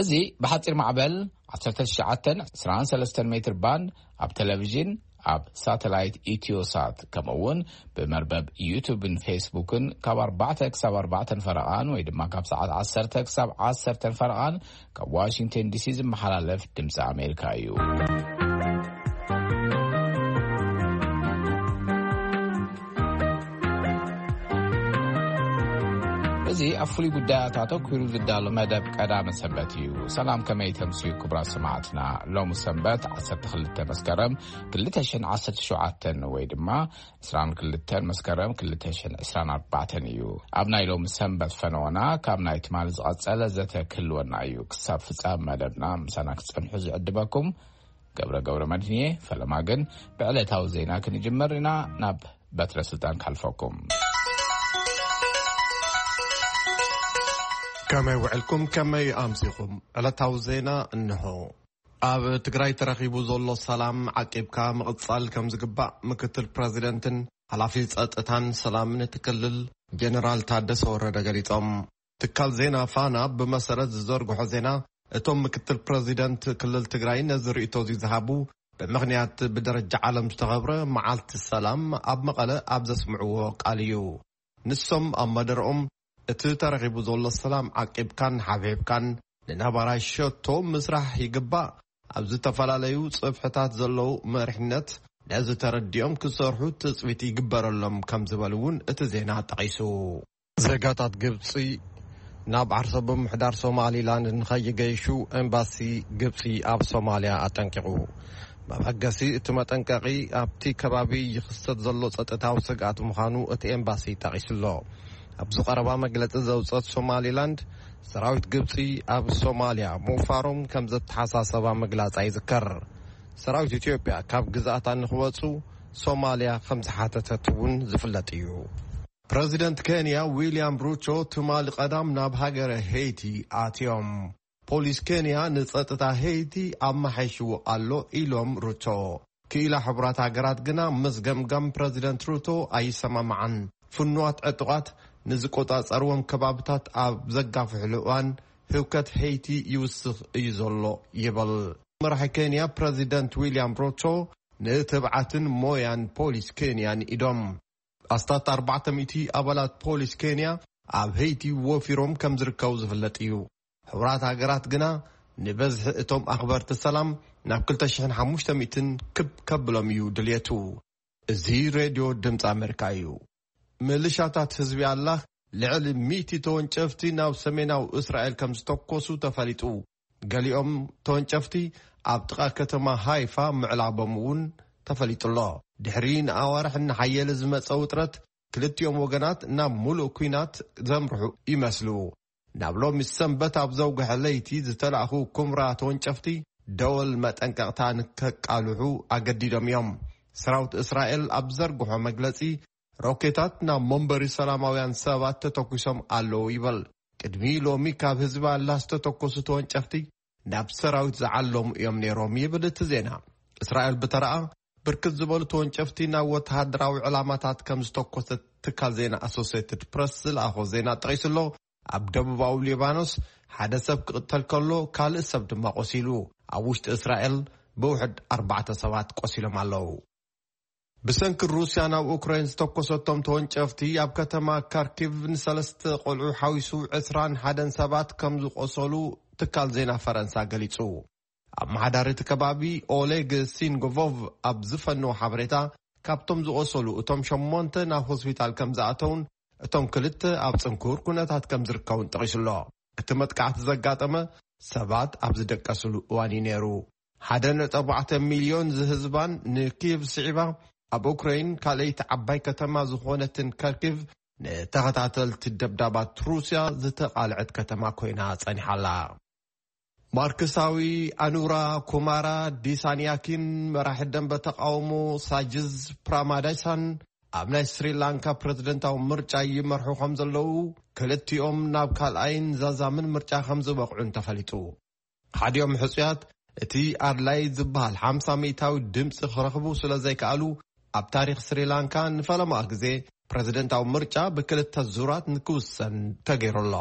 እዚ ብሓጺር ማዕበል ዓሰርተ ትሽዓተ ዕስራን ሰለስተን ሜትር ባንድ ኣብ ቴሌቪዥን፣ ኣብ ሳተላይት ኢትዮሳት፣ ከምኡ እውን ብመርበብ ዩቱብን ፌስቡክን ካብ ኣርባዕተ ክሳብ ኣርባዕተ ፈረቓን ወይ ድማ ካብ ሰዓት ዓሰርተ ክሳብ ዓሰርተ ፈረቓን ካብ ዋሽንግተን ዲሲ ዝመሓላለፍ ድምፂ ኣሜሪካ እዩ። እዚ ኣብ ፍሉይ ጉዳያት ኣተኲሩ ዝዳሎ መደብ ቀዳመ ሰንበት እዩ። ሰላም፣ ከመይ ተምስዩ ክቡራት ሰማዕትና? ሎሚ ሰንበት ዓሰርተ ክልተ መስከረም ክልተ ሽሕን ዓሰርተ ሸውዓተን ወይ ድማ ዕስራን ክልተን መስከረም ክልተ ሽሕን ዕስራን ኣርባዕተን እዩ። ኣብ ናይ ሎሚ ሰንበት ፈነወና ካብ ናይ ትማሊ ዝቐጸለ ዘተ ክህልወና እዩ። ክሳብ ፍጻም መደብና ምሳና ክትጸንሑ ዝዕድመኩም ገብረ ገብረ መድህን እየ። ፈለማ ግን ብዕለታዊ ዜና ክንጅመር ኢና። ናብ በትረ ስልጣን ካልፈኩም። ከመይ ውዕልኩም? ከመይ ኣምሲኹም? ዕለታዊ ዜና እንሆ። ኣብ ትግራይ ተረኺቡ ዘሎ ሰላም ዓቂብካ ምቕጻል ከም ዝግባእ ምክትል ፕረዚደንትን ሓላፊ ጸጥታን ሰላምን እቲ ክልል ጀነራል ታደሰ ወረደ ገሊጾም። ትካል ዜና ፋና ብመሰረት ዝዘርግሖ ዜና፣ እቶም ምክትል ፕረዚደንት ክልል ትግራይ ነዚ ርእይቶ እዚ ዝሃቡ፣ ብምኽንያት ብደረጃ ዓለም ዝተኸብረ መዓልቲ ሰላም ኣብ መቐለ ኣብ ዘስምዕዎ ቃል እዩ። ንሶም ኣብ መደርኦም፣ እቲ ተረኺቡ ዘሎ ሰላም ዓቂብካን ሓብሒብካን ንነባራይ ሸቶ ምስራሕ ይግባእ። ኣብ ዝተፈላለዩ ጽፍሕታት ዘለዉ መሪሕነት ነዚ ተረዲኦም ክሰርሑ ትጽቢት ይግበረሎም ከም ዝበሉ እውን እቲ ዜና ጠቒሱ። ዜጋታት ግብጺ ናብ ዓርሰ ብምሕዳር ሶማሊላንድ ንኸይገይሹ ኤምባሲ ግብጺ ኣብ ሶማልያ ኣጠንቂቑ። መበገሲ እቲ መጠንቀቒ ኣብቲ ከባቢ ይኽሰት ዘሎ ጸጥታዊ ስግኣት ምዃኑ እቲ ኤምባሲ ጠቒሱሎ። ኣብዚ ቀረባ መግለጺ ዘውጸት ሶማሊላንድ፣ ሰራዊት ግብጺ ኣብ ሶማልያ ምውፋሮም ከም ዘተሓሳሰባ ምግላጻ ይዝከር። ሰራዊት ኢትዮጵያ ካብ ግዝኣታ ንኽወጹ ሶማልያ ከም ዝሓተተት እውን ዝፍለጥ እዩ። ፕረዚደንት ኬንያ ዊልያም ሩቶ ትማሊ ቀዳም ናብ ሃገረ ሄይቲ ኣትዮም። ፖሊስ ኬንያ ንጸጥታ ሄይቲ ኣመሓይሽዎ ኣሎ ኢሎም ሩቶ። ክኢላ ሕቡራት ሃገራት ግና ምስ ገምጋም ፕረዚደንት ሩቶ ኣይሰማማዓን። ፍኑዋት ዕጡቓት ንዝቆጻጸርዎም ከባብታት ኣብ ዘጋፍሕሉ እዋን ህውከት ሄይቲ ይውስኽ እዩ ዘሎ ይብል። መራሒ ኬንያ ፕረዚደንት ዊልያም ሩቶ ንትብዓትን ሞያን ፖሊስ ኬንያ ንኢዶም። ኣስታት ኣርባዕተ ሚእቲ ኣባላት ፖሊስ ኬንያ ኣብ ሄይቲ ወፊሮም ከም ዝርከቡ ዝፍለጥ እዩ። ሕቡራት ሃገራት ግና ንበዝሒ እቶም ኣኽበርቲ ሰላም ናብ ክልተ ሽሕን ሓሙሽተ ሚእትን ክብ ከብሎም እዩ ድልየቱ። እዚ ሬድዮ ድምፂ ኣሜሪካ እዩ። ምልሻታት ህዝቢ ኣላህ ልዕሊ ሚእቲ ተወንጨፍቲ ናብ ሰሜናዊ እስራኤል ከም ዝተኮሱ ተፈሊጡ። ገሊኦም ተወንጨፍቲ ኣብ ጥቓ ከተማ ሃይፋ ምዕላቦም እውን ተፈሊጡ ኣሎ። ድሕሪ ንኣዋርሕ እናሓየለ ዝመጸ ውጥረት፣ ክልቲኦም ወገናት ናብ ሙሉእ ኲናት ዘምርሑ ይመስሉ። ናብ ሎሚ ሰንበት ኣብ ዘውግሐ ለይቲ ዝተላእኹ ኩምራ ተወንጨፍቲ ደወል መጠንቀቕታ ንከቃልሑ ኣገዲዶም እዮም። ሰራዊት እስራኤል ኣብ ዘርግሖ መግለጺ፣ ሮኬታት ናብ መንበሪ ሰላማውያን ሰባት ተተኲሶም ኣለዉ ይበል። ቅድሚ ሎሚ ካብ ህዝቢ ኣላህ ዝተተኮሱ ተወንጨፍቲ ናብ ሰራዊት ዝዓለሙ እዮም ነይሮም ይብል እቲ ዜና። እስራኤል ብተረኣ ብርክት ዝበሉ ተወንጨፍቲ ናብ ወተሃደራዊ ዕላማታት ከም ዝተኮሰት ትካል ዜና ኣሶሴትድ ፕረስ ዝለኣኾ ዜና ጠቒሱ ኣሎ። ኣብ ደቡባዊ ሊባኖስ ሓደ ሰብ ክቕተል ከሎ ካልእ ሰብ ድማ ቆሲሉ። ኣብ ውሽጢ እስራኤል ብውሕድ ኣርባዕተ ሰባት ቆሲሎም ኣለዉ። ብሰንኪ ሩስያ ናብ ኡክራይን ዝተኮሰቶም ተወንጨፍቲ ኣብ ከተማ ካርኪቭ ንሰለስተ ቆልዑ ሓዊሱ ዕስራን ሓደን ሰባት ከም ዝቆሰሉ ትካል ዜና ፈረንሳ ገሊጹ። ኣመሓዳሪ እቲ ከባቢ ኦሌግ ሲንጎቮቭ ኣብ ዝፈነዎ ሓበሬታ፣ ካብቶም ዝቆሰሉ እቶም ሸሞንተ ናብ ሆስፒታል ከም ዝኣተውን እቶም ክልተ ኣብ ጽንኩር ኩነታት ከም ዝርከቡን ጠቒሱ ኣሎ። እቲ መጥቃዕቲ ዘጋጠመ ሰባት ኣብ ዝደቀስሉ እዋን እዩ ነይሩ። ሓደ ነጥቢ ኣርባዕተ ሚልዮን ዝህዝባን ንኪየቭ ስዒባ ኣብ ኡክራይን ካልኣይቲ ዓባይ ከተማ ዝኾነትን ከርኪቭ ንተኸታተልቲ ደብዳባት ሩስያ ዝተቓልዐት ከተማ ኮይና ጸኒሓ ኣላ። ማርክሳዊ ኣኑራ ኩማራ ዲሳንያኪን መራሒ ደንበ ተቃውሞ ሳጅዝ ፕራማዳይሳን ኣብ ናይ ስሪላንካ ፕረዚደንታዊ ምርጫ ይመርሑ ከም ዘለዉ፣ ክልቲኦም ናብ ካልኣይን ዛዛምን ምርጫ ከም ዝበቕዑን ተፈሊጡ። ሓዲኦም ሕጹያት እቲ ኣድላይ ዝበሃል ሓምሳ ሚእታዊ ድምፂ ክረኽቡ ስለ ዘይከኣሉ፣ ኣብ ታሪኽ ስሪላንካ ንፈለማ ግዜ ፕረዚደንታዊ ምርጫ ብክልተ ዙራት ንክውሰን ተገይሩ ኣሎ።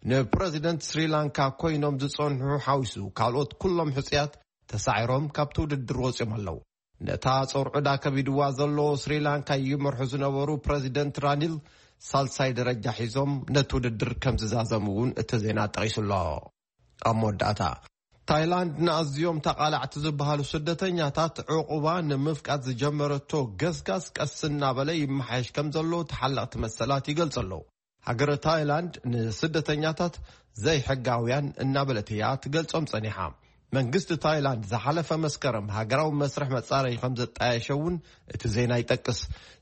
ንፕረዚደንት ስሪላንካ ኮይኖም ዝጸንሑ ሓዊሱ ካልኦት ኩሎም ሕጽያት ተሳዒሮም ካብቲ ውድድር ወጺኦም ኣለዉ። ነታ ጾር ዕዳ ከቢድዋ ዘሎ ስሪላንካ ይመርሑ ዝነበሩ ፕረዚደንት ራኒል ሳልሳይ ደረጃ ሒዞም ነቲ ውድድር ከም ዝዛዘሙ እውን እቲ ዜና ጠቒሱ ኣሎ። ኣብ መወዳእታ፣ ታይላንድ ንኣዝዮም ተቓላዕቲ ዝበሃሉ ስደተኛታት ዕቑባ ንምፍቃድ ዝጀመረቶ ገስጋስ ቀስ እናበለ ይመሓየሽ ከም ዘሎ ተሓለቕቲ መሰላት ይገልጹ ኣለዉ። ሃገረ ታይላንድ ንስደተኛታት ዘይሕጋውያን እናበለት እያ ትገልጾም ጸኒሓ። መንግስቲ ታይላንድ ዝሓለፈ መስከረም ሃገራዊ መስርሕ መጻረዪ ከም ዘጣየሸ እውን እቲ ዜና ይጠቅስ።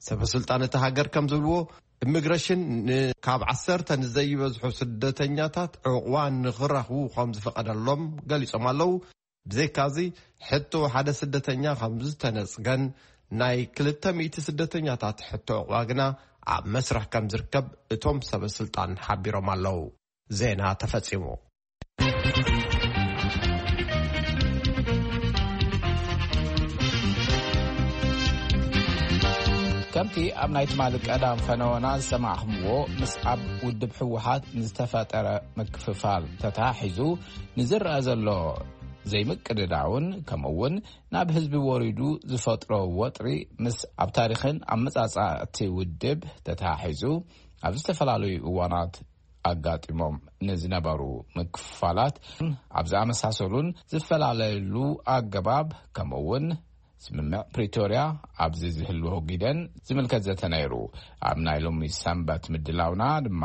ሰበ ስልጣን እቲ ሃገር ከም ዝብልዎ፣ ኢሚግሬሽን ን-፣ ካብ ዓሰርተ ንዘይበዝሑ ስደተኛታት ዕቑባ ንኽረኽቡ ከም ዝፈቐደሎም ገሊጾም ኣለዉ። ብዘይካዚ፣ ሕቶ ሓደ ስደተኛ ከም ዝተነጽገን ናይ ክልተ ሚእቲ ስደተኛታት ሕቶ ዕቑባ ግና ኣብ መስርሕ ከም ዝርከብ እቶም ሰበ ስልጣን ሓቢሮም ኣለዉ። ዜና ተፈጺሙ። ከምቲ ኣብ ናይ ትማሊ ቀዳም ፈነወና ዝሰማዕኹምዎ፣ ምስ ኣብ ውድብ ህወሓት ንዝተፈጠረ ምክፍፋል ተተሓሒዙ ንዝረአ ዘሎ ዘይምቅድዳውን፣ ከምኡ እውን ናብ ህዝቢ ወሪዱ ዝፈጥሮ ወጥሪ፣ ምስ ኣብ ታሪኽን ኣመጻጽኣ እቲ ውድብ ተተሓሒዙ ኣብ ዝተፈላለዩ እዋናት ኣጋጢሞም ንዝነበሩ ምክፍፋላት ኣብ ዝኣመሳሰሉን ዝፈላለዩሉ ኣገባብ፣ ከምኡ እውን ስምምዕ ፕሪቶርያ ኣብዚ ዝህልዎ ግደን ዝምልከት ዘተ ነይሩ። ኣብ ናይ ሎሚ ሰንበት ምድላውና ድማ፣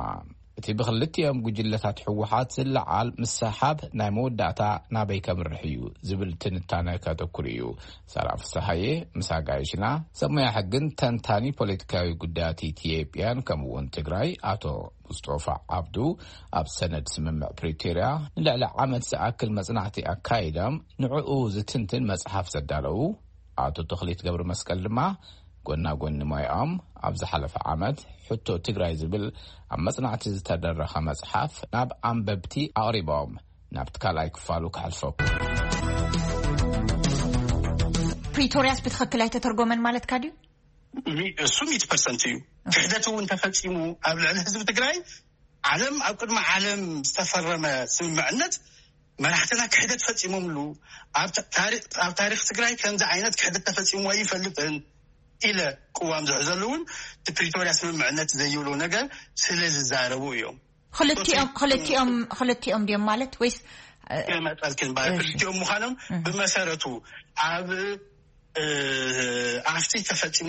እቲ ብክልቲኦም ጉጅለታት ህወሓት ዝለዓል ምሰሓብ ናይ መወዳእታ ናበይ ከምርሕ እዩ ዝብል ትንታነ ከተኩር እዩ። ሳራ ፍስሃየ ምስ ኣጋይሽና፣ ሰብ ሞያ ሕግን ተንታኒ ፖለቲካዊ ጉዳያት ኢትዮጵያን ከምኡ እውን ትግራይ ኣቶ ሙስጦፋ ዓብዱ፣ ኣብ ሰነድ ስምምዕ ፕሪቶርያ ንልዕሊ ዓመት ዝኣክል መጽናዕቲ ኣካይዶም ንዕኡ ዝትንትን መጽሓፍ ዘዳለዉ ኣቶ ተኽሊት ገብረ መስቀል ድማ፣ ጎና ጎኒ ሞያኦም፣ ኣብ ዝሓለፈ ዓመት ሕቶ ትግራይ ዝብል ኣብ መጽናዕቲ ዝተደረኸ መጽሓፍ ናብ ኣንበብቲ ኣቕሪቦም። ናብቲ ካልኣይ ክፋሉ ክሓልፈኩም። ፕሪቶርያስ ብትኽክል ኣይተተርጎመን ማለትካ ድዩ? እሱ ሚእቲ ፐርሰንት እዩ። ክሕደት እውን ተፈጺሙ ኣብ ልዕሊ ህዝቢ ትግራይ። ዓለም፣ ኣብ ቅድሚ ዓለም ዝተፈረመ ስምምዕነት መራሕትና ክሕደት ፈጺሞምሉ። ኣብ ታ-፣ ታሪ-፣ ኣብ ታሪኽ ትግራይ ከምዚ ዓይነት ክሕደት ተፈጺሙ ኣይፈልጥን ኢለ ቅዋም ዝሕዘሉ እውን እቲ ፕሪቶርያ ስምምዕነት ዘይብሎ ነገር ስለ ዝዛረቡ እዮም። ክልቲኦም፣ ክልቲኦም፣ ክልቲኦም ድዮም ማለት ወይስ፣ እ፣ የመጠልክን ባለ እሺ። ክልቲኦም ምዃኖም እህ። ብመሰረቱ ኣብ፣ እ፣ ኣብቲ ተፈጺሙ፣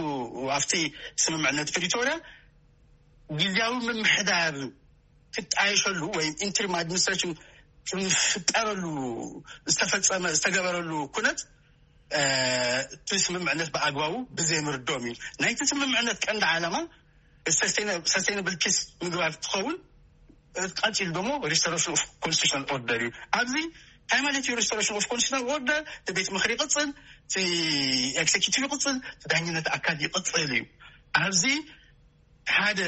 ኣብቲ ስምምዕነት ፕሪቶርያ ግዜያዊ ምምሕዳር ክጣየሸሉ ወይ ኢንትሪም ኣድሚኒስትሬሽን ክፍጠረሉ ዝተፈጸመ፣ ዝተገበረሉ ኩነት፣ እ፣ እቲ ስምምዕነት ብኣግባቡ ብዘይምርድኦም እዩ። ናይቲ ስምምዕነት ቀንዲ ዓላማ ሰስቴይነ-፣ ሰስቴይነብል ፒስ ምግባር ትኸውን። ቀፂሉ ደሞ ሪስቶሬሽን ኦፍ ኮንስቲቱሽናል ኦርደር እዩ። ኣብዚ እንታይ ማለት እዩ? ሪስቶሬሽን ኦፍ ኮንስቲቱሽናል ኦርደር፣ እቲ ቤት ምኽሪ ይቕፅል፣ እቲ ኤክዜኪቲቭ ይቕፅል፣ እቲ ዳኝነት ኣካል ይቕፅል እዩ። ኣብዚ ሓደ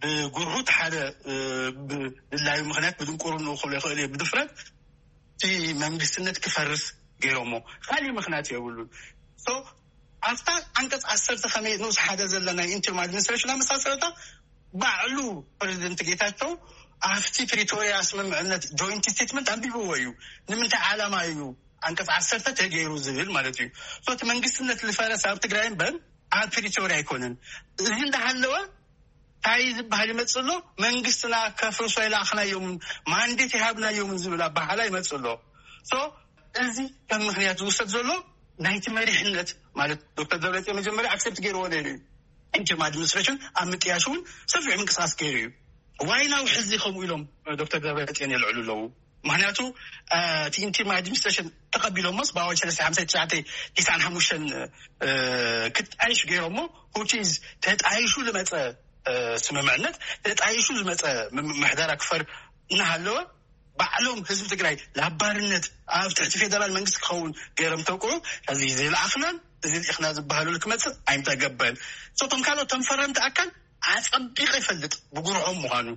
ብጉርሁት፣ ሓደ፣ እ፣ ብድላዩ ምኽንያት፣ ብድንቁርንኡ ክብሎ ይኽእል እየ፣ ብድፍረት እቲ መንግስትነት ክፈርስ ገይሮሞ። ካሊእ ምኽንያት የብሉን። ሶ ኣብታ ዓንቀፅ ዓሰርተ ከመይ ንኡስ ሓደ ዘላ ናይ ኢንተሪም ኣድሚኒስትሬሽን ኣመሳሰረታ፣ ባዕሉ ፕሬዚደንት ጌታቸው ኣብቲ ፕሪቶሪያ ስምምዕነት ጆይንት ስቴትመንት ኣንቢብዎ እዩ። ንምንታይ ዓላማ እዩ ዓንቀፅ ዓሰርተ ተገይሩ ዝብል ማለት እዩ? ሶ እቲ መንግስትነት ዝፈረሰ ኣብ ትግራይ እምበር ኣብ ፕሪቶርያ ኣይኮነን። እዚ እንዳሃለወ እንታይ ዝበሃል ይመፅእ ኣሎ? መንግስትና ከፍርሶ ኣይለኣኽናዮምን ማንዴት ኣይሃብናዮምን ዝብል ኣበሃህላ ይመፅእ ኣሎ። ሶ እዚ ከም ምኽንያት ዝውሰድ ዘሎ ናይቲ መሪሕነት ማለት ዶክተር ደብረፅዮን መጀመርያ ኣክሰፕት ገይርዎ ነይሩ እዩ። ኢንተሪም ኣድሚኒስትሬሽን ኣብ ምጥያሽ እውን ሰፊሕ ምንቅስቃስ ገይሩ እዩ። ዋይ ናው ሕዚ ከምኡ ኢሎም ዶክተር ደብረፅዮን የልዕሉ ኣለዉ። ምክንያቱ እቲ ኢንተሪም ኣድሚኒስትሬሽን ተቐቢሎሞስ ብኣዋጅ ሰለስተ ሓምሳ ትሽዓተ ቲስዓን ሓሙሽተን ክጣይሽ ገይሮሞ፣ which is ተጣይሹ ዝመፀ ስምምዕነት፣ ተጣይሹ ዝመፀ ምምሕዳር ኣክፈር እናሃለወ፣ ባዕሎም ህዝቢ ትግራይ ናብ ባርነት ኣብ ትሕቲ ፌደራል መንግስቲ ክኸውን ገይሮም ተውቅዑ። እዚ ዘይለኣኽናን እዚ ልኢኽና ዝበሃሉሉ ክመፅእ ኣይምተገበን። እቶም ካልኦት፣ እቶም ፈረምቲ ኣካል ኣፀቢቐ ይፈልጥ ብጉርሖም ምዃኑ።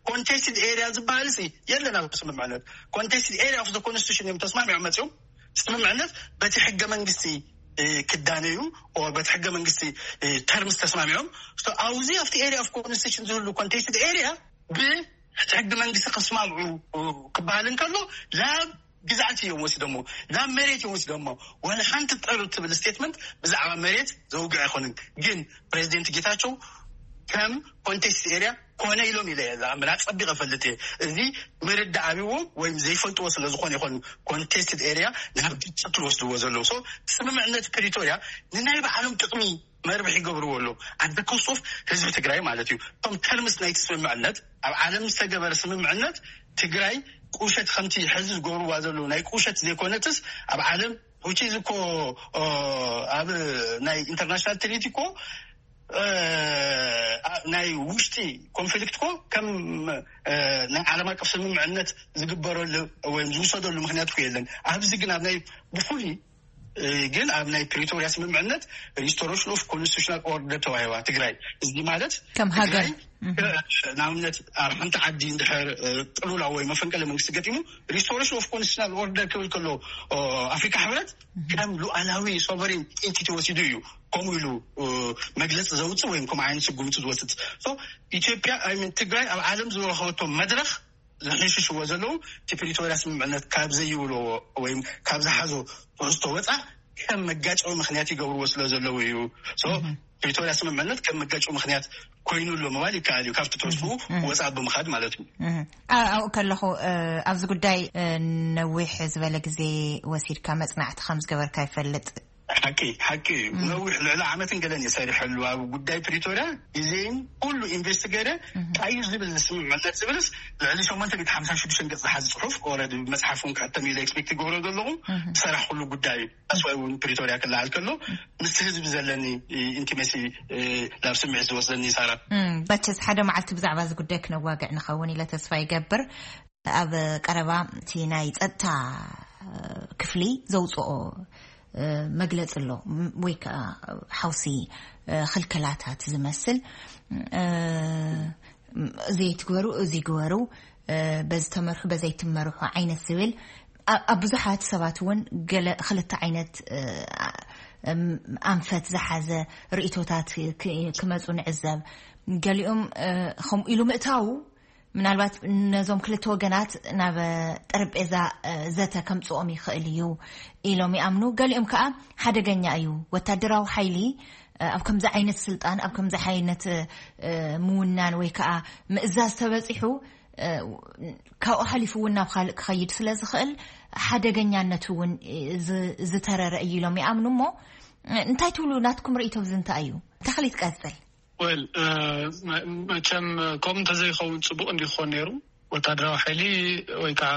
ኮንቴስትድ ኤሪያ ዝበሃል ሲ የለን ኣብ ስምምዕነት። ኮንቴስትድ ኤሪያ ኦፍ ኮንስቲቱሽን እዮም ተስማሚዖም መፅኦም። ስምምዕነት በቲ ሕገ መንግስቲ ክዳነዩ፣ በቲ ሕገ መንግስቲ ተርምስ ተስማሚዖም። ኣብዚ ኣብቲ ኤሪያ ኦፍ ኮንስቲቱሽን ዝህሉ ኮንቴስትድ ኤሪያ ብ እቲ ሕጊ መንግስቲ ከስማምዑ ክበሃል እንከሎ ናብ ግዛት እዮም ወስደሞ፣ ናብ መሬት እዮም ወስደሞ። ዋላ ሓንቲ ጠር ትብል ስቴትመንት ብዛዕባ መሬት ዘውግዕ ኣይኮንን። ግን ፕሬዚደንት ጌታቸው ከም ኮንቴስት ኤሪያ ኮነ ኢሎም ኢለ እየ ዝኣምን። ኣጸቢቐ እፈልጥ እየ። እዚ ምርዳእ ኣብዎም ወይም ዘይፈልጥዎ ስለ ዝኾነ ይኾን ኮንቴስትድ ኤሪያ ናብ ግጭት ዝወስድዎ ዘለዉ። ሶ ስምምዕነት ፕሪቶሪያ ንናይ ባዕሎም ጥቕሚ መርብሕ ይገብርዎ ኣለዉ። ኣደ ኮስት ኦፍ ህዝቢ ትግራይ ማለት እዩ። እቶም ተርምስ ናይቲ ስምምዕነት ኣብ ዓለም ዝተገበረ ስምምዕነት ትግራይ ቁሸት ከምቲ ሕዚ ዝገብርዋ ዘለዉ ናይ ቁሸት ዘይኮነትስ ኣብ ዓለም ውጪ እኮ ኣብ ናይ ኢንተርናሽናል ትሪቲ እኮ ናይ ውሽጢ ኮንፍሊክት እኮ ከም ናይ ዓለም ኣቀፍ ስምምዕነት ዝግበረሉ ወይም ዝውሰደሉ ምክንያት እኮ የለን። ኣብዚ ግን ኣብ ናይ ብፍሉይ ግን ኣብ ናይ ፕሪቶሪያ ስምምዕነት ሪስቶሬሽን ኦፍ ኮንስቲቱሽናል ኦርደር ተዋሂባ ትግራይ። እዚ ማለት ከም ሃገር ንኣብነት ኣብ ሓንቲ ዓዲ እንድሕር ጥሉላ ወይ መፈንቀለ መንግስቲ ገጢሙ ሪስቶሬሽን ኦፍ ኮንስቲቱሽናል ኦርደር ክብል ከሎ ኣፍሪካ ሕብረት ከም ሉዓላዊ ሶቨሬን ኢንቲቲ ወሲዱ እዩ ከምኡ ኢሉ መግለፂ ዘውፅእ ወይም ከምኡ ዓይነት ስጉምቲ ዝወስድ። ኢትዮጵያ ትግራይ ኣብ ዓለም ዝረኸበቶ መድረክ ዝሕሽሽዎ ዘለዉ እቲ ፕሪቶሪያ ስምምዕነት ካብ ዘይብልዎ ወይም ካብ ዝሓዞ ትሕዝቶ ወፃ ከም መጋጨዊ ምክንያት ይገብርዎ ስለ ዘለዉ እዩ። ፕሪቶሪያ ስምምዕነት ከም መጋጨዊ ምክንያት ኮይኑ ኣሎ ምባል ይከኣል እዩ። ካብቲ ትሕዝትኡ ወፃ ብምካድ ማለት እዩ። ኣብኡ ከለኹ ኣብዚ ጉዳይ ነዊሕ ዝበለ ግዜ ወሲድካ መፅናዕቲ ከም ዝገበርካ ይፈልጥ። ሓቂ ሓቂ እዩ። ነዊሕ ልዕሊ ዓመትን ገለን እየ ሰሪሐሉ ኣብ ጉዳይ ፕሪቶሪያ። ግዜን ኩሉ ኢንቨስት ገይረ እንታይ እዩ ዝብል ስምምዕነት ዝብልስ ልዕሊ ሸሞንተ ሚእቲ ሓምሳን ሽዱሽተን ገፅ ዝሓዝ ፅሑፍ ኦረዲ መፅሓፍ እውን ክሕተም ኢለ ኤክስፔክት ይገብሮ ዘለኹ ዝሰራሕኩሉ ጉዳይ እዩ። ኣስዋይ እውን ፕሪቶሪያ ክለዓል ከሎ ምስ ህዝቢ ዘለኒ ኢንቲሜሲ ናብ ስምዒት ዝወስደኒ ይሳራ። መቸስ ሓደ መዓልቲ ብዛዕባ እዚ ጉዳይ ክነዋግዕ ንኸውን ኢለ ተስፋ ይገብር። ኣብ ቀረባ እቲ ናይ ጸጥታ ክፍሊ ዘውፅኦ መግለፂ ኣሎ ወይ ከዓ ሓውሲ ክልከላታት ዝመስል ዘይትግበሩ እዚ ግበሩ በዚ ተመርሑ በዘይትመርሑ ዓይነት ዝብል ኣብ ብዙሓት ሰባት እውን ገለ ክልተ ዓይነት ኣንፈት ዝሓዘ ርእቶታት ክመፁ ንዕዘብ። ገሊኦም ከምኡ ኢሉ ምእታው ምናልባት ነዞም ክልተ ወገናት ናብ ጠረጴዛ ዘተ ከምፅኦም ይኽእል እዩ ኢሎም ይኣምኑ። ገሊኦም ከዓ ሓደገኛ እዩ፣ ወታደራዊ ሓይሊ ኣብ ከምዚ ዓይነት ስልጣን ኣብ ከምዚ ዓይነት ምውናን ወይ ከዓ ምእዛዝ ተበፂሑ ካብኡ ሓሊፉ እውን ናብ ካልእ ክኸይድ ስለ ዝኽእል ሓደገኛነቱ እውን ዝተረረ እዩ ኢሎም ይኣምኑ። እሞ እንታይ ትብሉ? ናትኩም ርእይቶ ብዚ እንታይ እዩ? ተኽሊት ቀፅል። ወል መቸም ከምኡ እንተዘይኸውን ፅቡቕ እንዲክኾን ነይሩ። ወታደራዊ ሓይሊ ወይ ከዓ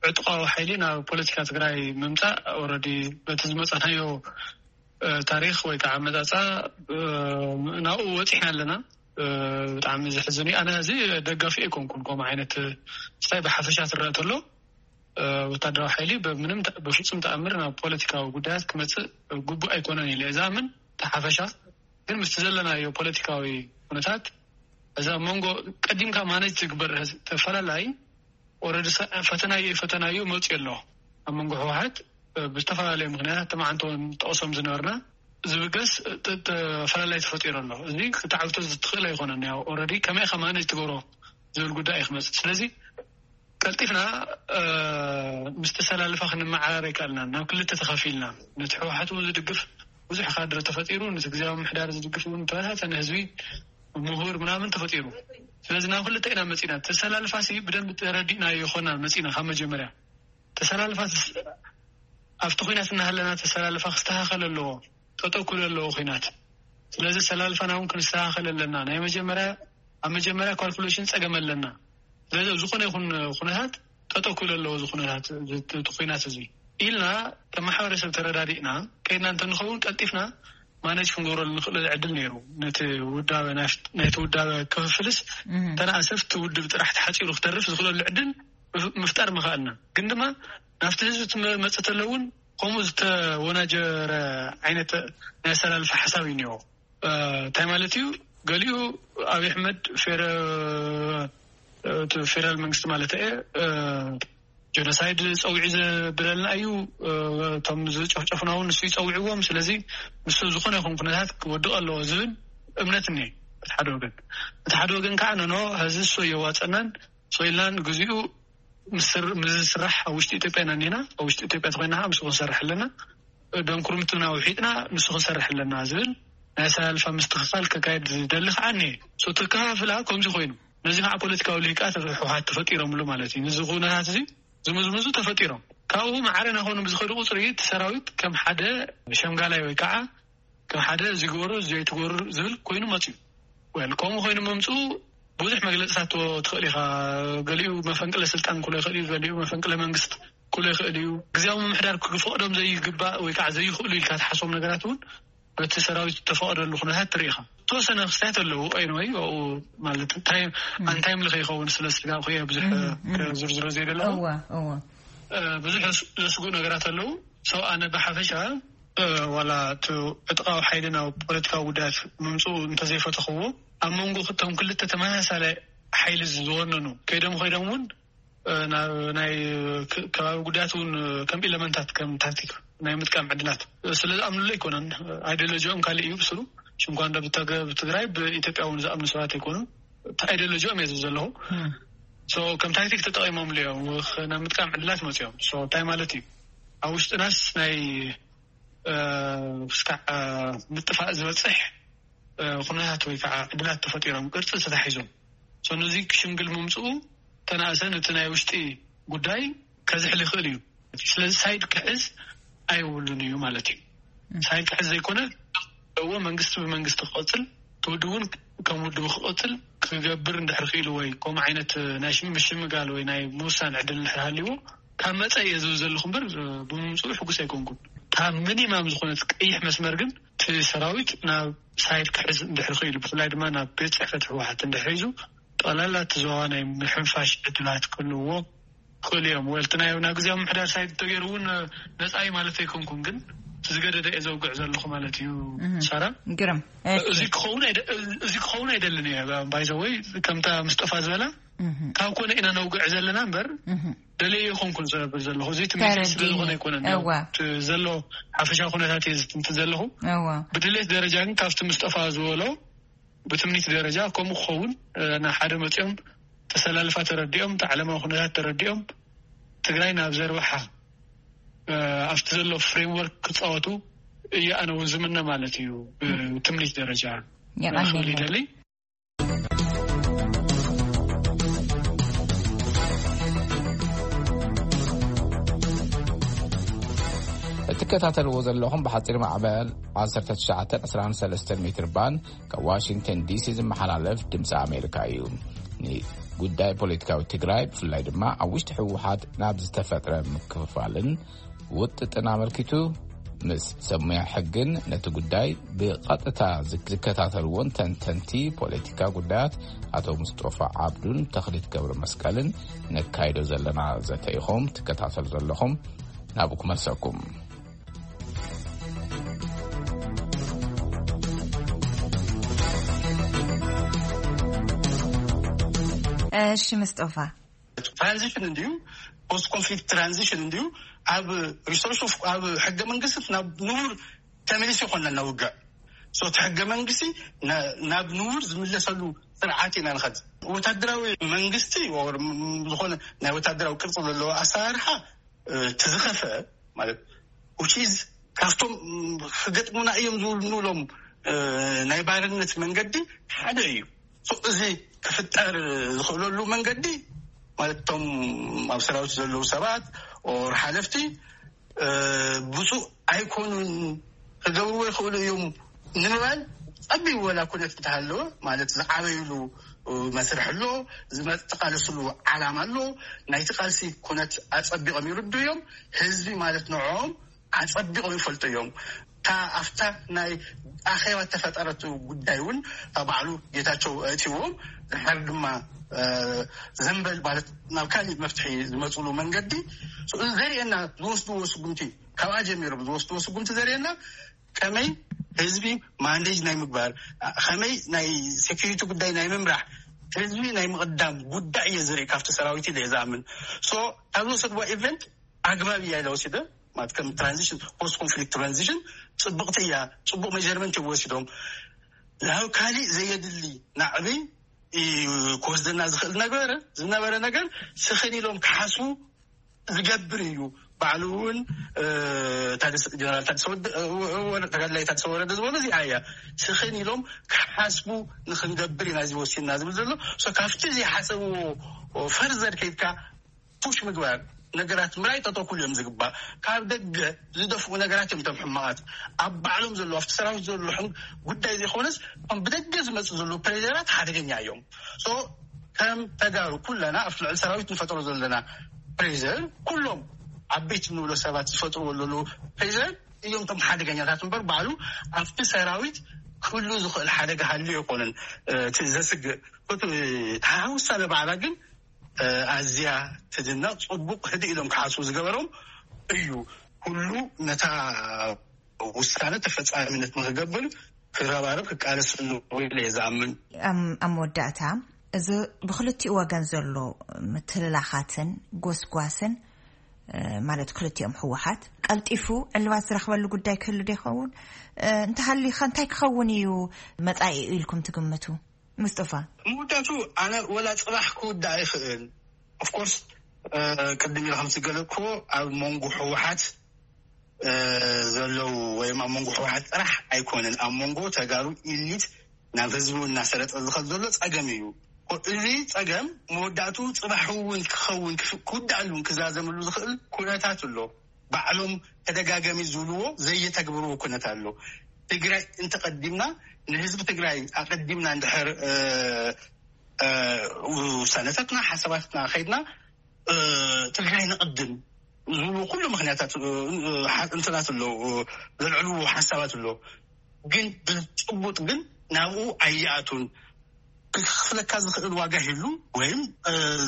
ዕጥቃዊ ሓይሊ ናብ ፖለቲካ ትግራይ ምምፃእ ኦረዲ በቲ ዝመፃናዮ ታሪክ ወይ ከዓ መፃፃ ናብኡ ወፂሕና ኣለና። ብጣዕሚ ዘሕዝን እዩ። ኣነ እዚ ደጋፊ ኣይኮንኩን ከምኡ ዓይነት ስታይ ብሓፈሻ ትረአ ተሎ ወታደራዊ ሓይሊ ብምንም ብፍፁም ተኣምር ናብ ፖለቲካዊ ጉዳያት ክመፅእ ግቡእ ኣይኮነን ኢለ እዛ ምን ተሓፈሻ ግን ምስቲ ዘለናዮ ፖለቲካዊ ኩነታት እዛ መንጎ ቀዲምካ ማነጅ ትግበር ተፈላላይ ኦረዲ ፈተናዮ ፈተናዮ መፅኡ ኣሎ ኣብ መንጎ ህወሓት ብዝተፈላለዩ ምክንያታት ተማዓንተውን ጠቕሶም ዝነበርና ዝብገስ ተፈላላይ ተፈጢሩ ኣሎ። እዚ ክትዓግቶ ዝትኽእል ኣይኮነን። ያው ኦረዲ ከመይ ከማነጅ ትገብሮ ዝብል ጉዳይ እዩ ክመፅእ። ስለዚ ቀልጢፍና ምስ ተሰላልፋ ክንመዓራረ ይከኣልና። ናብ ክልተ ተኸፊልና ነቲ ህወሓት እውን ዝድግፍ ብዙሕ ካድረ ተፈጢሩ፣ ነቲ ግዜያዊ ምሕዳር ዝድግፍ እውን ተበታተነ ህዝቢ ምሁር ምናምን ተፈጢሩ። ስለዚ ናብ ክልተ ኢና መፂና። ተሰላልፋ ሲ ብደንብ ተረዲእና ይኾና መፂና ካብ መጀመርያ ተሰላልፋ ኣብቲ ኩናት እናሃለና ተሰላልፋ ክስተኻኸል ኣለዎ። ጠጠው ክብል ኣለዎ ኩናት። ስለዚ ኣሰላልፋና እውን ክንስተኻኸል ኣለና። ናይ መጀመርያ ኣብ መጀመርያ ካልኩሌሽን ፀገም ኣለና። ስለዚ ኣብ ዝኾነ ይኹን ኩነታት ጠጠው ክብል ኣለዎ እዚ ኩነታት እቲ ኩናት እዚ ኢልና ከም ማሕበረሰብ ተረዳዲእና ከይድና እንተንኸውን ቀልጢፍና ማነጅ ክንገብረሉ ንኽእለሉ ዕድል ነይሩ። ነቲ ውዳበ ናይቲ ውዳበ ክፍፍልስ ተነኣሰፍቲ ውድብ ጥራሕ ተሓፂሩ ክተርፍ ዝኽእለሉ ዕድል ምፍጣር ምኽኣልና። ግን ድማ ናብቲ ህዝቢ ትመፅእ ተሎ እውን ከምኡ ዝተወናጀረ ዓይነት ናይ ኣሰላልፋ ሓሳብ እዩ እኒኦ። እንታይ ማለት እዩ? ገሊኡ ኣብይ ኣሕመድ ፌደራል መንግስቲ ማለት እየ ጀኖሳይድ ፀዊዑ ዘብለልና እዩ። እቶም ዝጨፍጨፉና እውን ንሱ ይፀውዕዎም። ስለዚ ንሱ ዝኾነ ይኹን ኩነታት ክወድቕ ኣለዎ ዝብል እምነት እኒ እቲ ሓደ ወገን። እቲ ሓደ ወገን ከዓ ነኖ ህዚ እሱ የዋፀናን ሶ ኢልና ንግዚኡ ምስር- ምስ ዝስራሕ ኣብ ውሽጢ ኢትዮጵያ ኢና እኒና። ኣብ ውሽጢ ኢትዮጵያ ተኮይና ከዓ ምስኡ ክንሰርሕ ኣለና። ደንኩርምትና ውሒጥና ምስኡ ክንሰርሕ ኣለና ዝብል ናይ ኣሰላልፋ ምስትኽኻል ከካየድ ዝደሊ ከዓ እኒሀ። ሶ ተከፋፍላ ከምዚ ኮይኑ ነዚ ከዓ ፖለቲካዊ ልሂቃት ህወሓት ተፈጢሮምሉ ማለት እዩ። ነዚ ኩነታት እዚ ዝምዝምዙ ተፈጢሮም ካብኡ ማዕረ ናኾኑ ብዝኸዱ ቁፅሪ እቲ ሰራዊት ከም ሓደ ሸምጋላይ ወይ ከዓ ከም ሓደ እዚ ግበሩ እዚ ኣይትግበሩ ዝብል ኮይኑ መፅዩ። ወል ከምኡ ኮይኑ መምፅኡ ብዙሕ መግለፅታት ትወ- ትኽእል ኢኻ። ገሊኡ መፈንቅለ ስልጣን ክሎ ይኽእል እዩ፣ ገሊኡ መፈንቅለ መንግስት ክሎ ይኽእል እዩ። ግዜያዊ ምምሕዳር ክፈቕዶም ዘይግባእ ወይ ከዓ ዘይኽእሉ ኢልካ ትሓስቦም ነገራት እውን በቲ ሰራዊት ዝተፈቐደሉ ኩነታት ትርኢ ኢኻ። ዝተወሰነ ክስታት ኣለዉ። ኤኒወይ ኣብኡ ማለት እንታይ ኣንታይም ልኸ ይኸውን ስለ ስጋብ ከየ ብዙሕ ዝርዝሮ ዘይደለኹ እዋ እዋ ብዙሕ ዘስጉ ነገራት ኣለዉ። ሰው ኣነ ብሓፈሻ ዋላ እቲ ዕጥቃዊ ሓይሊ ናብ ፖለቲካዊ ጉዳያት ምምፅኡ እንተዘይፈተኽዎ ኣብ መንጎ ክቶም ክልተ ተመሳሳለ ሓይሊ ዝወነኑ ከይዶም ከይዶም እውን ናብ ናይ ከባቢ ጉዳያት እውን ከም ኢለመንታት ከም ታክቲክ ናይ ምጥቃም ዕድላት ስለ ዝኣምኑሉ ኣይኮነን። ኣይዲዮሎጂኦም ካልእ እዩ ብስሩ። ሽንኳ እንዶ ብትግራይ ብኢትዮጵያ እውን ዝኣምኑ ሰባት ኣይኮኑን። ኣይዲዮሎጂኦም እየ ዝብል ዘለኹ። ከም ታክቲክ ተጠቂሞምሉ እዮም ናብ ምጥቃም ዕድላት መፅኦም። እንታይ ማለት እዩ? ኣብ ውሽጥናስ ናይ ስካዕ ምጥፋእ ዝበፅሕ ኩነታት ወይ ከዓ ዕድላት ተፈጢሮም ቅርፂ ተታሒዞም ነዚ ክሽምግል ምምፅኡ ተናእሰን እቲ ናይ ውሽጢ ጉዳይ ከዝሕል ይኽእል እዩ። ስለዚ ሳይድ ክሕዝ ኣይብሉን እዩ ማለት እዩ። ሳይድ ክሕዝ ዘይኮነ እዎ መንግስቲ ብመንግስቲ ክቐፅል ትውድብ እውን ከም ውድብ ክቐፅል ክገብር እንድሕር ክኢሉ ወይ ከምኡ ዓይነት ናይ ምሽምጋል ወይ ናይ ምውሳን ዕድል እንድሕር ሃልዎ ካብ መፀ እየ ዝብል ዘለኹ እምበር ብምምፅኡ ሕጉስ ኣይኮንኩን። ካብ ሚኒማም ዝኾነት ቀይሕ መስመር ግን እቲ ሰራዊት ናብ ሳይድ ክሕዝ እንድሕር ክኢሉ ብፍላይ ድማ ናብ ቤት ፅሕፈት ህወሓት እንድሕር ሒዙ ጠቕላላ እቲ ዞባ ናይ ምሕንፋሽ ዕድላት ክህልዎ ክእሉ እዮም። ወልቲ ናይ ናብ ግዜያዊ ምሕዳር ሳይድ ተገይሩ እውን ነፃ እዩ ማለት ኣይኮንኩን፣ ግን እቲ ዝገደደ እየ ዘውግዕ ዘለኹ ማለት እዩ። ሳራ ግርም እዚ ክኸውን ኣይደ- እዚ ክኸውን ኣይደልን እየ ባይዘወይ ከምታ ምስጠፋ ዝበላ ካብ ኮነ ኢና ነውግዕ ዘለና እምበር ደለየ ይኮንኩን ዘብል ዘለኹ እዚ ትምኒት ስለዝኾነ ኣይኮነን ዘሎ ሓፈሻ ኩነታት እየ ዝትንት ዘለኹ። ብድሌት ደረጃ ግን ካብቲ ምስጠፋ ዝበሎ ብትምኒት ደረጃ ከምኡ ክኸውን ናብ ሓደ መፂኦም ተሰላልፋ ተረዲኦም ተዓለማዊ ኩነታት ተረዲኦም ትግራይ ናብ ዘርባሓ ኣብቲ ዘሎ ፍሬምወርክ ክፃወቱ እየ ኣነ እውን ዝምነ ማለት እዩ። ብትምኒት ደረጃ ክብል ይደሊ። እትከታተልዎ ዘለኹም ብሓፂር ማዕበል ዓሰርተ ትሽዓተ ዕስራን ሰለስተን ሜትር ባንድ ካብ ዋሽንግተን ዲሲ ዝመሓላለፍ ድምፂ ኣሜሪካ እዩ። ንጉዳይ ፖለቲካዊ ትግራይ ብፍላይ ድማ ኣብ ውሽጢ ህወሓት ናብ ዝተፈጥረ ምክፍፋልን ውጥጥን ኣመልኪቱ ምስ ሰብ ሞያ ሕግን ነቲ ጉዳይ ብቐጥታ ዝከታተልዎን ተንተንቲ ፖለቲካ ጉዳያት ኣቶ ሙስጦፋ ዓብዱን ተኽሊት ገብረ መስቀልን ነካይዶ ዘለና ዘተ ኢኹም ትከታተሉ ዘለኹም። ናብኡ ክመልሰኩም። እሺ ምስጦፋ ትራንዚሽን እንድዩ ፖስት ኮንፍሊክት ትራንዚሽን እንድዩ ኣብ ሪሶርስ ኦፍ ኣብ ሕገ መንግስቲ ናብ ንቡር ተመሊሱ ይኮነና ውግዕ ሶ እቲ ሕገ መንግስቲ ናብ ንቡር ዝምለሰሉ ስርዓት ኢና ንኸድ ወታደራዊ መንግስቲ ዝኾነ ናይ ወታደራዊ ቅርፂ ዘለዎ ኣሰራርሓ ትዝኸፈ ማለት ውቺዝ ካብቶም ክገጥሙና እዮም ዝብሉ ንብሎም ናይ ባርነት መንገዲ ሓደ እዩ። እዚ ክፍጠር ዝኽእለሉ መንገዲ ማለት እቶም ኣብ ሰራዊት ዘለዉ ሰባት ኦር ሓለፍቲ ብፁእ ኣይኮኑን ክገብርዎ ይኽእሉ እዮም ንምባል ጸቢብ ወላ ኩነት እንተሃለወ ማለት ዝዓበይሉ መስርሕ ኣሎ፣ ዝመ- ዝቃለስሉ ዓላማ ኣሎ። ናይቲ ቃልሲ ኩነት ኣጸቢቖም ይርዱ እዮም። ህዝቢ ማለት ንዕኦም ኣጸቢቖም ይፈልጡ እዮም። እታ ኣብታ ናይ ኣኼባ እተፈጠረት ጉዳይ እውን እታ ባዕሉ ጌታቸው ኣእትይዎም ድሓር ድማ ዘንበል ማለት ናብ ካሊእ መፍትሒ ዝመፅሉ መንገዲ ዘርእየና ዝወስድዎ ስጉምቲ ካብኣ ጀሚሮም ዝወስድዎ ስጉምቲ ዘርእየና ከመይ ህዝቢ ማንዴጅ ናይ ምግባር ከመይ ናይ ሴኪሪቲ ጉዳይ ናይ ምምራሕ ህዝቢ ናይ ምቕዳም ጉዳይ እየ ዝርኢ ካብቲ ሰራዊት ኢለ እየ ዝኣምን ሶ ካብ ዝወሰድዋ ኢቨንት ኣግባብ እያ ኢለ ወሲደ ማለት ከም ትራንዚሽን ፖስት ኮንፍሊክት ትራንዚሽን ፅብቕቲ እያ ፅቡቅ ሜጀርመንት እዮም ወሲዶም ናብ ካሊእ ዘየድሊ ናዕቢ ክወስደና ዝኽእል ነበረ ዝነበረ ነገር ስኽን ኢሎም ክሓስቡ ዝገብር እዩ። ባዕሉ እውን ጀነራል ተጋዳላይ ታደሰ ወረደ ዝበሎ እዚኣ እያ። ስኽን ኢሎም ክሓስቡ ንክንገብር ኢና እዚ ወሲንና ዝብል ዘሎ። ካብቲ ዘይሓሰብዎ ፈርዘር ከይድካ ፑሽ ምግባር፣ ነገራት ምራይ ጠጠው ክብሉ እዮም ዝግባእ። ካብ ደገ ዝደፍኡ ነገራት እዮም እቶም ሕማቓት። ኣብ ባዕሎም ዘለዉ ኣብቲ ሰራዊት ዘሎ ጉዳይ ዘይኮነስ፣ እቶም ብደገ ዝመፁ ዘለዉ ፕሬዘራት ሓደገኛ እዮም። ከም ተጋሩ ኩለና ኣብ ልዕሊ ሰራዊት ንፈጥሮ ዘለና ፕሬዘር፣ ኩሎም ዓበይቲ ንብሎ ሰባት ዝፈጥርዎ ዘለዉ ፕሬዘር እዮም እቶም ሓደገኛታት እምበር፣ ባዕሉ ኣብቲ ሰራዊት ክህሉ ዝኽእል ሓደጋ ሃልዩ ኣይኮነን። እቲ ዘስግእ እቲ ተሃውሳነ ባዕላ ግን ኣዝያ ትድነቕ። ጽቡቕ ህድእ ኢሎም ክሓስቡ ዝገበሮም እዩ። ኩሉ ነታ ውሳነ ተፈጻሚነት ንክገብር ክረባረብ ክቃለስ ኣለዎ ኢለ እየ ዝኣምን። ኣብ መወዳእታ፣ እዚ ብክልቲኡ ወገን ዘሎ ምትልላኻትን ጎስጓስን ማለት ክልቲኦም ህወሓት ቀልጢፉ ዕልባት ዝረኽበሉ ጉዳይ ክህሉ ዶ ይኸውን? እንተሃሊኸ እንታይ ክኸውን እዩ መጻኢኡ ኢልኩም ትግምቱ? ምስጥፋ፣ መወዳቱ ኣነ ወላ ጽባሕ ክውዳእ ይኽእል። ኦፍኮርስ ቅድሚ ኢሉ ከም ዝገለጽኩዎ ኣብ መንጎ ህወሓት ዘለዉ ወይም ኣብ መንጎ ህወሓት ጥራሕ ኣይኮነን፣ ኣብ መንጎ ተጋሩ ኢሊት ናብ ህዝቡ እናሰረጠ ዝኸድ ዘሎ ጸገም እዩ። እዚ ጸገም መወዳእቱ ጽባሕ እውን ክኸውን ክውዳእሉን ክዛዘምሉ ዝኽእል ኩነታት ኣሎ። ባዕሎም ተደጋጋሚ ዝብልዎ ዘየተግብርዎ ኩነት ኣሎ። ትግራይ እንተቐዲምና፣ ንህዝቢ ትግራይ ኣቐዲምና እንድሕር ውሳነታትና ሓሳባትና ከይድና፣ ትግራይ ንቕድም ዝብሉ ኩሉ ምክንያታት እንትናት ኣሎ፣ ዘልዕልዎ ሓሳባት ኣሎ። ግን ብጭቡጥ ግን ናብኡ ኣይኣቱን። ክኽፍለካ ዝኽእል ዋጋ ሂሉ ወይም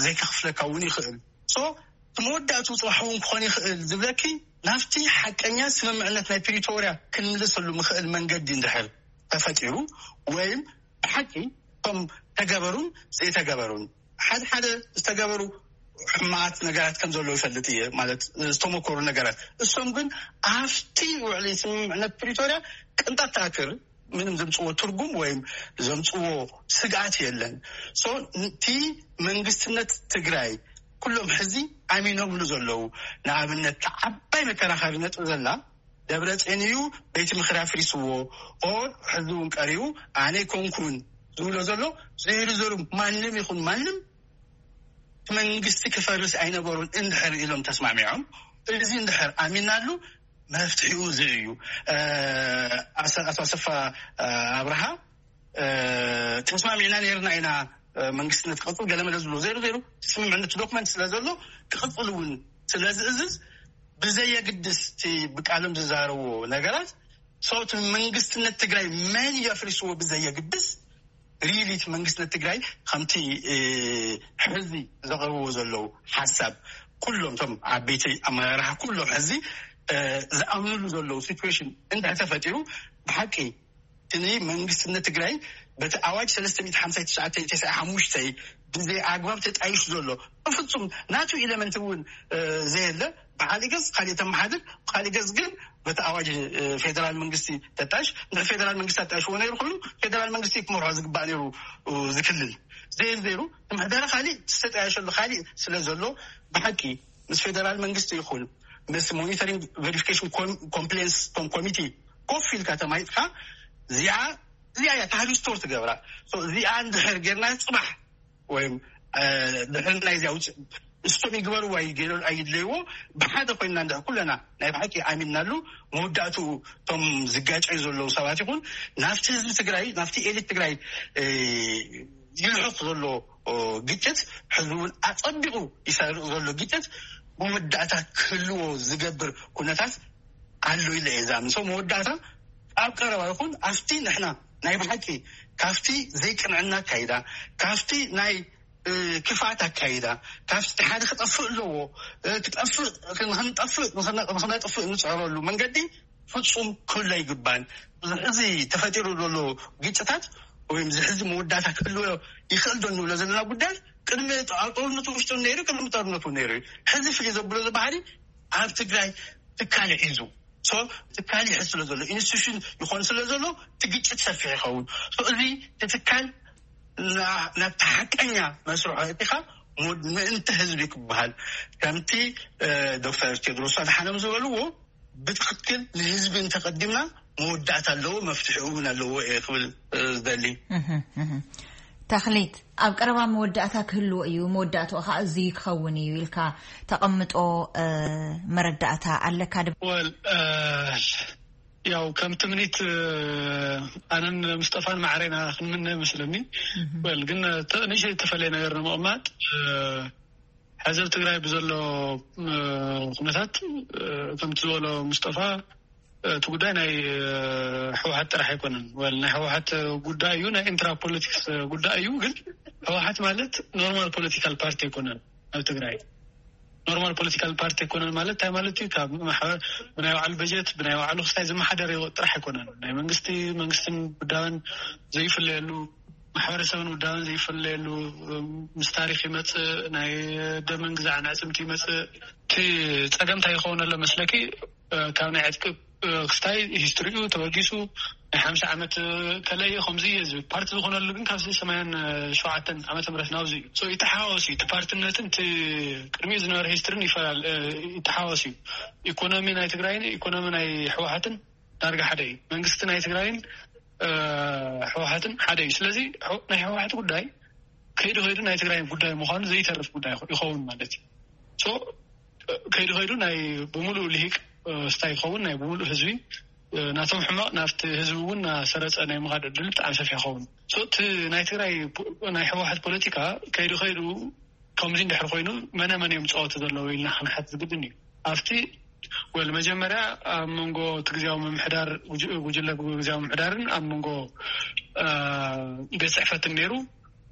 ዘይክኽፍለካ እውን ይኽእል። ሶ እቲ መወዳእቱ ጽባሕ እውን ክኾን ይኽእል ዝብለኪ ናብቲ ሓቀኛ ስምምዕነት ናይ ፕሪቶርያ ክንምልሰሉ ምኽእል መንገዲ እንድሕር ተፈጢሩ፣ ወይም ብሓቂ እቶም ተገበሩን ዘይተገበሩን፣ ሓደ ሓደ ዝተገበሩ ሕማት ነገራት ከም ዘለዉ ይፈልጥ እየ፣ ማለት ዝተመኮሩ ነገራት። እሶም ግን ኣብቲ ውዕሊ ስምምዕነት ፕሪቶርያ ቅንጣት ተኣክር ምንም ዘምጽዎ ትርጉም ወይም ዘምጽዎ ስግኣት የለን። ሶ እቲ መንግስትነት ትግራይ ኩሎም ሕዚ ኣሚኖምሉ ዘለዉ፣ ንኣብነት ዓባይ መከራኸሪ ነጥብ ዘላ ደብረጽዮን እዩ፣ ቤት ምኽሪ ኣፍሪስዎ፣ ኦር ሕዚ እውን ቀሪቡ ኣነ ኣይኮንኩን ዝብሎ ዘሎ ዘይርዘሩ ማንም ይኹን ማንም እቲ መንግስቲ ክፈርስ ኣይነበሩን እንድሕር ኢሎም ተስማሚዖም፣ እዚ እንድሕር ኣሚናሉ መፍትሒኡ እዚ እዩ። ኣቶ ኣሰፋ ኣብርሃ ተስማሚዕና ነርና ኢና መንግስትነት ክቕፅል ገለመለ ዝብሎ ዘይሩ ዘይሩ ስምምዕነት ዶክመንት ስለ ዘሎ ክቕፅል እውን ስለ ዝእዝዝ ብዘየግድስ እቲ ብቃሎም ዝዛረብዎ ነገራት ሰውቲ መንግስትነት ትግራይ መን እዩ ኣፍሪስዎ ብዘየግድስ ሪሊ እቲ መንግስትነት ትግራይ ከምቲ ሕዚ ዘቕርብዎ ዘለዉ ሓሳብ ኩሎም እቶም ዓበይቲ ኣመራርሓ ኩሎም ሕዚ ዝኣምንሉ ዘለዉ ሲትዌሽን እንድሕር ተፈጢሩ ብሓቂ እቲ መንግስትነት ትግራይ በቲ ኣዋጅ ሰለስተ ሚእቲ ሓምሳ ትሽዓተ ተስዓ ሓሙሽተ ብዘይ ኣግባብ ተጣይሹ ዘሎ ብፍፁም ናቱ ኢለመንት እውን ዘየለ ብካሊእ ገፅ ካሊእ ተመሓድር ብካሊእ ገፅ ግን በቲ ኣዋጅ ፌደራል መንግስቲ ተጣይሽ እንድሕር ፌደራል መንግስቲ ኣጣይሽዎ ነይሩ ኮይኑ ፌደራል መንግስቲ ክመርሖ ዝግባእ ነይሩ ዝክልል ዘይሩ ዘይሩ ምሕደራ ካሊእ ዝተጣየሸሉ ካሊእ ስለ ዘሎ ብሓቂ ምስ ፌደራል መንግስቲ ይኹን ምስ ሞኒተሪንግ ቨሪፊኬሽን ኮምፕሌንስ ኮሚቴ ኮፍ ኢልካ ተማይጥካ እዚኣ እዚኣ እያ ታሪክ ስቶር ትገብራ እዚኣ እንድሕር ጌርና ፅባሕ ወይም ድሕር ናይዚ ኣውፅእ እስቶም ይግበርዎ ኣይገይሮ ኣይድለይዎ ብሓደ ኮይንና እንድሕር ኩለና ናይ ብሓቂ ኣሚንናሉ መወዳእትኡ እቶም ዝጋጨዩ ዘለዉ ሰባት ይኹን ናብቲ ህዝቢ ትግራይ ናብቲ ኤሊት ትግራይ ይልሕቕ ዘሎ ግጭት ሕዚ እውን ኣፀቢቑ ይሰርቕ ዘሎ ግጭት መወዳእታ ክህልዎ ዝገብር ኩነታት ኣሎ ኢለ እየ ዝኣምን ሰው መወዳእታ ኣብ ቀረባ ይኹን ኣብቲ ንሕና ናይ ብሓቂ ካብቲ ዘይቅንዕና ኣካይዳ ካብቲ ናይ ክፍኣት ኣካይዳ ካብቲ ሓደ ክጠፍእ ኣለዎ ክጠፍእ ንክንጠፍእ ንክነጥፍእ ንፅዕረሉ መንገዲ ፍፁም ክህሉ ኣይግባን። እዚ ተፈጢሩ ዘሎ ግጭታት ወይም እዚ ሕዚ መወዳእታ ክህልዎ ይኽእል ዶ እንብሎ ዘለና ጉዳይ ቅድሚ ኣብ ጦርነቱ ውሽጡ ነይሩ ቅድሚ ጦርነቱ ነይሩ ሕዚ ፍልይ ዘብሎ እዚ ባህሪ ኣብ ትግራይ ትካል ሒዙ ትካል ይሕዝ ስለ ዘሎ ኢንስቲቱሽን ይኾን ስለ ዘሎ እቲ ግጭት ሰፊሕ ይኸውን እዚ ትካል ናብቲ ሓቀኛ መስርሖ እቲኻ ምእንቲ ህዝቢ ክበሃል ከምቲ ዶክተር ቴድሮስ ኣድሓኖም ዝበልዎ ብትክክል ንህዝቢ እንተቀዲምና መወዳእታ ኣለዎ፣ መፍትሒ እውን ኣለዎ እየ ክብል ዝደሊ። ተክሊት፣ ኣብ ቀረባ መወዳእታ ክህልዎ እዩ፣ መወዳእትኡ ከዓ እዚ ክኸውን እዩ ኢልካ ተቐምጦ መረዳእታ ኣለካ? ወል ያው ከም ትምኒት ኣነን ምስጠፋን ማዕረና ክንምነ መስለኒ። ወል ግን ንእሽተይ ዝተፈለየ ነገር ንምቕማጥ፣ ሕዚ ኣብ ትግራይ ብዘሎ ኩነታት ከምቲ ዝበሎ ምስጠፋ፣ እቲ ጉዳይ ናይ ህወሓት ጥራሕ ኣይኮነን። ወል ናይ ህወሓት ጉዳይ እዩ፣ ናይ ኢንትራ ፖለቲክስ ጉዳይ እዩ። ግን ህወሓት ማለት ኖርማል ፖለቲካል ፓርቲ ኣይኮነን ኣብ ትግራይ። ኖርማል ፖለቲካል ፓርቲ ኣይኮነን ማለት እንታይ ማለት እዩ? ካብ ማሕበር ብናይ ባዕሉ በጀት ብናይ ባዕሉ ክስታይ ዝመሓደር ጥራሕ ኣይኮነን። ናይ መንግስቲ መንግስትን ጉዳዮን ዘይፍለየሉ፣ ማሕበረሰብን ጉዳዮን ዘይፍለየሉ፣ ምስ ታሪክ ይመፅእ፣ ናይ ደምን ግዛዕን ኣዕፅምቲ ይመፅእ። እቲ ፀገም እንታይ ይኸውን ኣሎ መስለኪ? ካብ ናይ ዕጥቂ ክስታይ ሂስትሪኡ ተበጊሱ ናይ ሓምሳ ዓመት ከለየ ከምዚ እየ ዝብል ፓርቲ ዝኾነሉ ግን ካብ ሰማንያን ሸውዓተን ዓመተ ምህረት ናብዚ እዩ። ይተሓዋወስ እዩ። እቲ ፓርትነትን እቲ ቅድሚኡ ዝነበረ ሂስትሪን ይፈላለ፣ ይተሓዋወስ እዩ። ኢኮኖሚ ናይ ትግራይን ኢኮኖሚ ናይ ህወሓትን ዳርጋ ሓደ እዩ። መንግስቲ ናይ ትግራይን ህወሓትን ሓደ እዩ። ስለዚ ናይ ህወሓት ጉዳይ ከይዱ ከይዱ ናይ ትግራይ ጉዳይ ምዃኑ ዘይተርፍ ጉዳይ ይኸውን ማለት እዩ። ከይዱ ከይዱ ናይ ብምሉእ ልሂቅ ስታይ ይኸውን፣ ናይ ብምሉእ ህዝቢ ናቶም ሕማቕ ናብቲ ህዝቢ እውን ናሰረፀ ናይ ምኻድ ዕድል ብጣዕሚ ሰፊሕ ይኸውን። እቲ ናይ ትግራይ ናይ ህወሓት ፖለቲካ ከይዱ ከይዱ ከምዚ እንድሕር ኮይኑ መነ መን እዮም ዝፃወቱ ዘለዉ ኢልና ክንሓት ዝግድን እዩ። ኣብቲ ወል መጀመርያ ኣብ መንጎ እቲ ግዜያዊ ምምሕዳር ጉጅለ ግዜያዊ ምምሕዳርን ኣብ መንጎ ቤት ፅሕፈትን ነይሩ።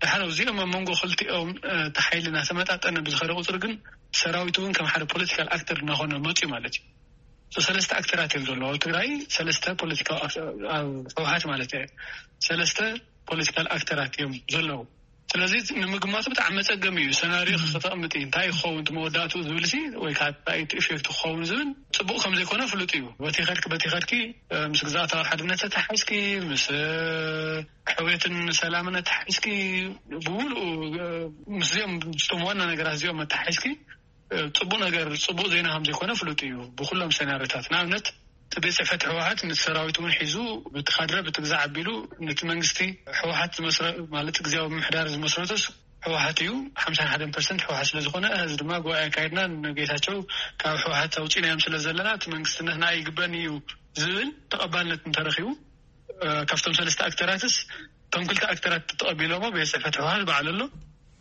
ድሓር እዚኦም ኣብ መንጎ ክልቲኦም እቲ ሓይሊ እናተመጣጠነ ብዝኸደ ቁፅሪ ግን ሰራዊት እውን ከም ሓደ ፖለቲካል ኣክተር እናኾነ መፅዩ ማለት እዩ። ሰለስተ ኣክተራት እዮም ዘለዉ ኣብ ትግራይ። ሰለስተ ፖለቲካዊ ኣብ ህወሓት ማለት እየ። ሰለስተ ፖለቲካል ኣክተራት እዮም ዘለዉ። ስለዚ ንምግማቱ ብጣዕሚ መፀገሚ እዩ። ሰናሪዮ ከተቕምጥ እንታይ ይኸውን መወዳእቱ ዝብል ሲ ወይ ከዓ ኢፌክት ክኸውን ዝብል ፅቡቅ ከምዘይኮነ ፍሉጥ እዩ። በቲ ከድኪ በቲ ከድኪ ምስ ግዛእታዊ ሓድነት ተተሓዝኪ ምስ ሕውየትን ሰላምን ተሓዝኪ ብሙሉኡ ምስዚኦም ምስቶም ዋና ነገራት እዚኦም መተሓዝኪ ፅቡቅ ነገር ፅቡቅ ዜና ከም ዘይኮነ ፍሉጥ እዩ። ብኩሎም ሰናሪታት ንኣብነት እቲ ቤት ፅሕፈት ህወሓት ነቲ ሰራዊት እውን ሒዙ ብቲ ካድረ ብቲ ግዛዕ ኣቢሉ ነቲ መንግስቲ ህወሓት ዝመስረ ማለት ግዜያዊ ምምሕዳር ዝመስረቶስ ህወሓት እዩ። ሓምሳን ሓደን ፐርሰንት ህወሓት ስለዝኾነ እዚ ድማ ጉባኤ ኣካይድና ንጌታቸው ካብ ህወሓት ኣውፂናዮም ስለ ዘለና እቲ መንግስትነት ንዓ ይግበን እዩ ዝብል ተቐባልነት እንተረኺቡ ካብቶም ሰለስተ ኣክተራትስ እቶም ክልተ ኣክተራት ተቐቢሎሞ ቤት ፅሕፈት ህወሓት በዓል ኣሎ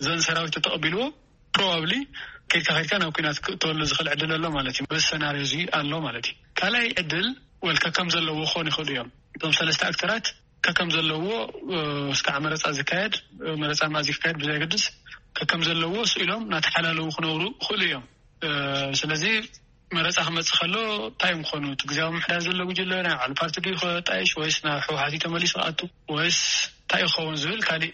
ዘን ሰራዊት ተቐቢልዎ ፕሮባብሊ ከይድካ ከይድካ ናብ ኩናት ክእተወሉ ዝኽእል ዕድል ኣሎ ማለት እዩ። በዚ ሰናርዮ እዚ ኣሎ ማለት እዩ። ካልኣይ ዕድል ወልካ ከም ዘለዎ ክኾኑ ይኽእሉ እዮም። እቶም ሰለስተ ኣክተራት ከከም ዘለዎ እስካዕ መረፃ ዝካየድ መረፃ ማእዚ ክካየድ ብዘየገድስ ከከም ዘለዎ ስኢሎም እናተሓላለዉ ክነብሩ ይኽእሉ እዮም። ስለዚ መረፃ ክመፅእ ከሎ እንታይ እዮም ክኾኑ? እቲ ግዜያዊ ምምሕዳር ዘሎ ጉጅለ ናይ ባዕሉ ፓርቲ ድዩ ክጣይሽ ወይስ ናብ ህወሓት እዩ ተመሊሱ ክኣቱ ወይስ እንታይ እዩ ክኸውን ዝብል ካሊእ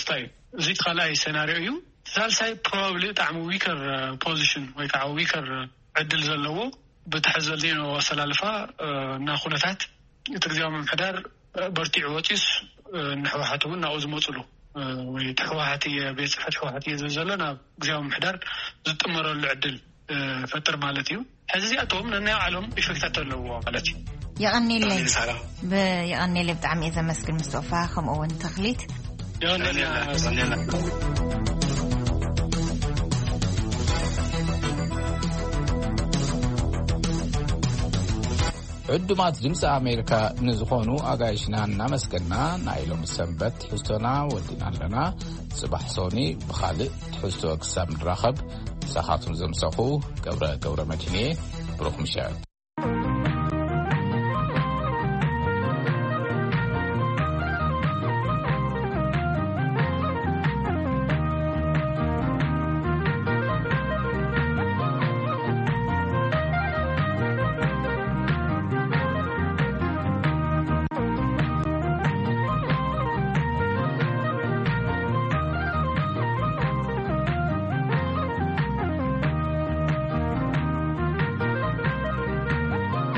ስታይ እዩ። እዚ እቲ ካልኣይ ሴናሪዮ እዩ። ሳልሳይ ፕሮባብሊ ብጣዕሚ ዊከር ፖዚሽን ወይ ከዓ ዊከር ዕድል ዘለዎ ብትሕዚ ዘሎ ኣሰላልፋ እና ኩነታት እቲ ግዜያዊ ምምሕዳር በርቲዑ ወፂስ ንሕወሓት እውን ናብኡ ዝመፅሉ ወይ እቲ ሕወሓት እየ ቤት ፅሕፈት ሕወሓት እየ ዝብል ዘሎ ናብ ግዜያዊ ምምሕዳር ዝጥመረሉ ዕድል ፈጥር ማለት እዩ። ሕዚ እዚኣቶም ነናይ ባዕሎም ኢፌክታት ኣለዎ ማለት እዩ። የቐኒለይ ሳራ። የቐኒለይ ብጣዕሚ እየ ዘመስግን ምስጦፋ ከምኡ እውን ተኽሊት። የቐኒለና። ዕዱማት ድምፂ ኣሜሪካ ንዝኾኑ ኣጋይሽና እናመስገና ናይ ሎሚ ሰንበት ትሕዝቶና ወዲና ኣለና። ፅባሕ ሶኒ ብኻልእ ትሕዝቶ ክሳብ ንራኸብ ምሳኻቱም ዘምሰኹ ገብረ ገብረ መድህንየ ብሩኽ ምሸት።